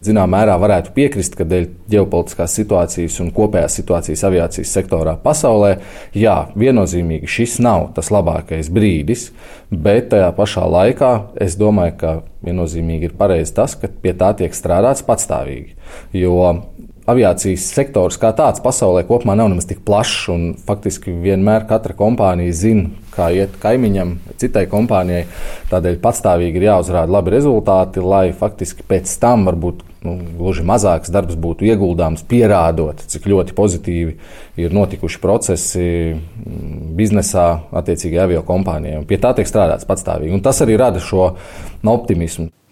Zināmā mērā varētu piekrist, ka dēļ ģeopolitiskās situācijas un kopējās situācijas aviācijas sektorā pasaulē, jā, viennozīmīgi šis nav tas labākais brīdis, bet tajā pašā laikā es domāju, ka viennozīmīgi ir pareizi tas, ka pie tā tiek strādāts patstāvīgi. Jo aviācijas sektors kā tāds pasaulē kopumā nav nemaz tik plašs, un faktiski vienmēr katra kompānija zina, kā iet kaimiņam, citai kompānijai. Tādēļ patstāvīgi ir jāuzrāda labi rezultāti, lai faktiski pēc tam varbūt gluži mazāks darbs būtu ieguldāms, pierādot, cik ļoti pozitīvi ir notikuši procesi biznesā attiecīgajai aviokompānijai. Pie tā tiek strādāts patstāvīgi, un tas arī rada šo optimismu.